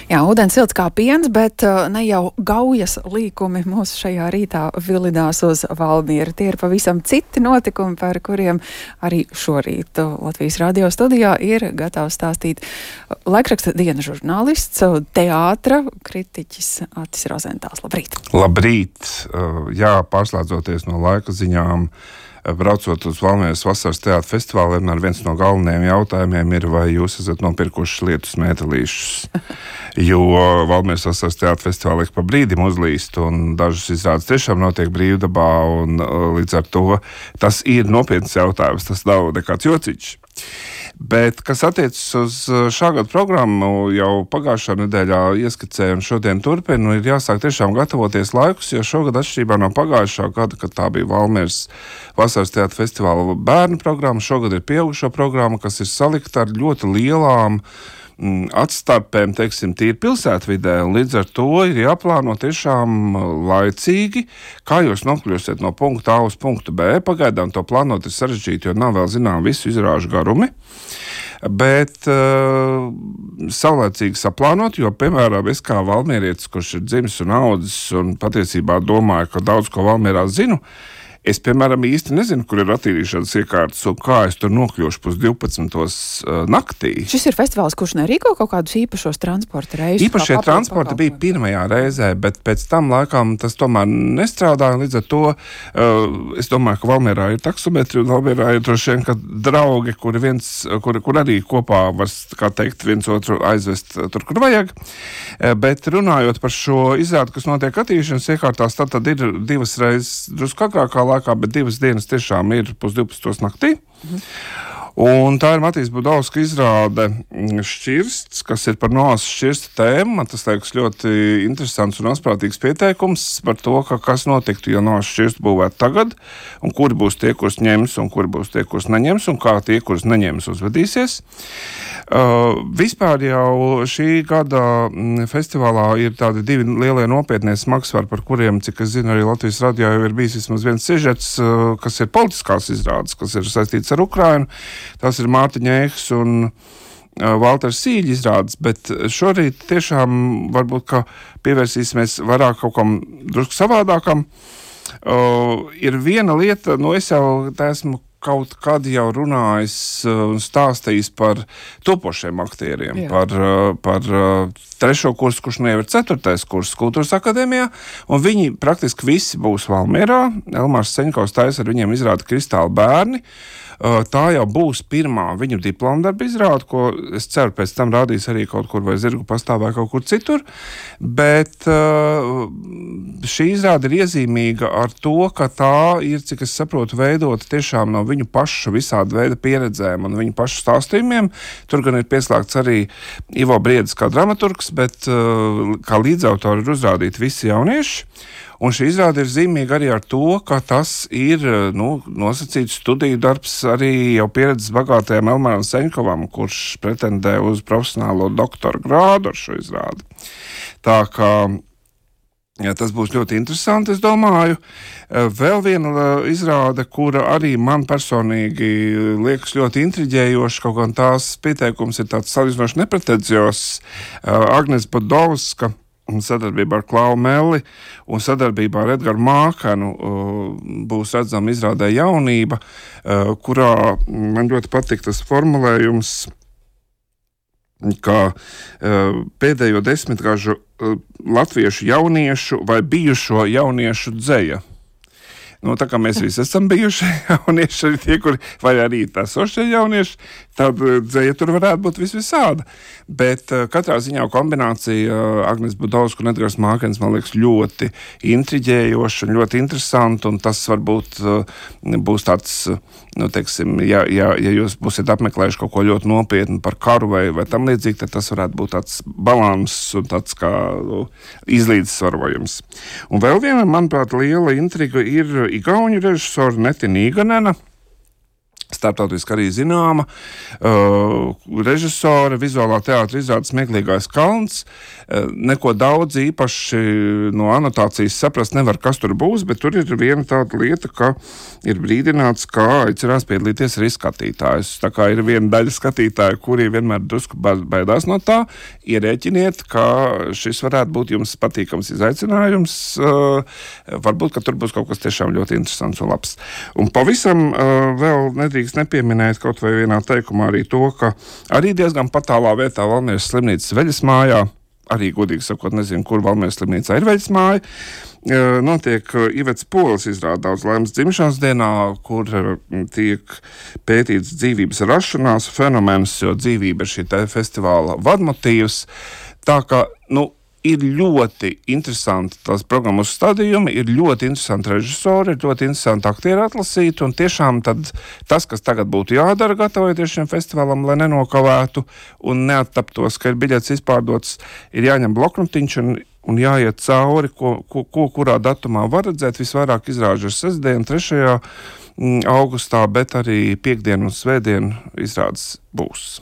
Jā, ūdens silts kā piens, bet ne jau gaujas līkumi mūs šajā rītā vilidās uz Valmieru. Tie ir pavisam citi notikumi, par kuriem arī šorīt Latvijas radio studijā ir gatavs stāstīt laikraksta diena žurnālists, teātra kritiķis Atis Rozentāls. Labrīt! Labrīt! Jā, pārslēdzoties no laika ziņām, braucot uz Valmieras vasaras teātra festivāliem, viens no galvenajiem jautājumiem ir, vai jūs esat nopirkuši lietus mētelīšus. Jo Valmieras vasaras teātra festivāla ik pa brīdim uzlīst, un dažas izrādes tiešām notiek brīvdabā, un līdz ar to tas ir nopietns jautājums, tas nav nekāds jociņš. Bet, kas attiecas uz šā gada programmu, jau pagājušā nedēļā ieskicēju un šodien turpinu, ir jāsāk tiešām gatavoties laikus, jo šogad atšķirībā no pagājušā gada, kad tā bija Valmieras vasaras teātra festivāla bērnu programma, šogad ir pieaugušo programma, kas ir salikta ar ļoti lielām atstarpēm, teiksim, tīri pilsētvidē, un līdz ar to ir jāplāno tiešām laicīgi, kā jūs nokļūsiet no punkta A uz punktu B. Pagaidām to plānot ir sarežģīti, jo nav vēl zinām visu izrāžu garumi, bet saulēcīgi saplānot, jo, piemēram, es kā valmierietis, kurš ir dzimis un audzis un patiesībā domāju, ka daudz ko Valmierā zinu, es, piemēram, īsti nezinu, kur ir attīrīšanas iekārtas un kā es tur nokļūšu 12. naktī. Šis ir festivāls, kurš nerīko kaut kādus īpašos transporta reisus? Īpašie transporti bija pirmajā reizē, bet pēc tam laikam tas tomēr nestrādāja. Līdz ar to es domāju, ka Valmierā ir taksometri un Valmierā ir droši vien, ka draugi, kur arī kopā var, kā teikt, viens otru aizvest tur, kur vajag. Bet runājot par šo izrādi, kas notiek attīrīšanas iekārtās, tad ir divas reizes drusku agrākā laikā, bet 2 dienas tiešām ir 12. naktī. Un tā ir Matīs Budovska izrāde Šķirsts, kas ir par Noas Šķirsta tēmu. Man tas liekas ļoti interesants un asprātīgs pieteikums par to, kas notiktu, ja Noas Šķirstu būvētu tagad, un kuri būs tie, kurus ņems, un kuri būs tie, kurus neņems, un kā tie, kurus neņems, uzvedīsies. Vispār jau šī gada festivālā ir tādi 2 lielie nopietnie smagsvari, par kuriem, cik es zinu, arī Latvijas radio jau ir bijis vismaz viens sižets, kas ir politiskās izrādes, kas ir saistīts ar Ukrainu. Tas ir Mārtiņa Ēhs un Valters Sīļa izrādes, bet šorīt tiešām varbūt, ka pievērsīsimies vairāk kaut kam drusku savādākam. Ir viena lieta, es jau esmu kaut kad jau runājis un stāstījis par topošiem aktieriem, par 3. kursu, kurš jau ir 4. kurs Kultūras akadēmijā, un viņi praktiski visi būs Valmierā. Elmārs Seņkovs taisa ar viņiem izrādi Kristāli bērni. Tā jau būs pirmā viņu diplomdarba izrāde, ko es ceru pēc tam rādīs arī kaut kur vai Zirgu pastāvē kaut kur citur, bet šī izrāde ir iezīmīga ar to, ka tā ir, cik es saprotu, veidota tiešām no viņu pašu visāda veida pieredzēm un viņu pašu stāstījumiem. Tur gan ir pieslēgts arī Ivo Briedis kā dramaturgs, bet kā līdzautori ir uzrādīti visi jaunieši. Un šī izrāde ir zīmīga arī ar to, ka tas ir nosacīts studiju darbs arī jau pieredzes bagātajam Elmāram Seņkovam, kurš pretendē uz profesionālo doktora grādu ar šo izrādi. Tā kā tas būs ļoti interesanti, es domāju. Vēl viena izrāde, kura arī man personīgi liekas ļoti intriģējoša, kaut gan tās pieteikums ir tāds salīdzinoši nepretenzios. Agnes Budovska sadarbībā ar Klau Melli un sadarbībā ar Edgaru Mākanu būs redzama izrādē Jaunība, kurā man ļoti patīk tas formulējums, ka pēdējo 10-gažu latviešu jauniešu vai bijušo jauniešu dzeja. Tā kā mēs visi esam bijuši jaunieši, arī tie, kuri vai arī esošie jaunieši, tad dzeja tur varētu būt visāda. Bet katrā ziņā kombinācija Agnes Budovska un Edgars Mākens man liekas ļoti intriģējoša un ļoti interesanta, un tas varbūt būs tāds, teiksim, ja jūs būsiet apmeklējuši kaut ko ļoti nopietnu par karu vai tam līdzīgi, tad tas varētu būt tāds balans un tāds kā izlīdzsvarojums. Un vēl viena, manuprāt, liela intriga ir igauņu režisora Neti Nīganena, starptautiski arī zināma režisore, vizuālā teātra izrādes Smieklīgais kalns. Neko daudz īpaši no anotācijas saprast nevar, kas tur būs, bet tur ir viena tāda lieta, ka ir brīdināts, ka aicinās piedalīties arī skatītājus. Tā kā ir viena daļa skatītāju, kuri vienmēr drusku baidās no tā, ierēķiniet, ka šis varētu būt jums patīkams izaicinājums. Varbūt, ka tur būs kaut kas tiešām ļoti interesants un labs. Un pavisam vēl nedrīkst nepieminēt kaut vai vienā teikumā arī to, ka arī diezgan patālā vietā Valmieras slimnīcas Veļas mājā, arī godīgi sakot, nezinu, kur Valmieras slimnīcā ir Veļas māja, notiek Ivets Pols izrāda Daudz laimes dzimšanas dienā, kur tiek pētīts dzīvības rašanās fenomens, jo dzīvība ir šī festivāla vadmotīvs. Tā kā, ir ļoti interesanti tās programmas stādījumi, ir ļoti interesanti režisori, ir ļoti interesanti aktieri atlasīt, un tiešām tad tas, kas tagad būtu jādara, gatavojoties šiem festivālam, lai nenokavētu un neattaptos, ka ir biļets izpārdots, ir jāņem bloknotiņš un jāiet cauri, kurā datumā var redzēt. Visvairāk izrāžu ir sestdien, 3. augustā, bet arī piekdien un svētdien izrādes būs.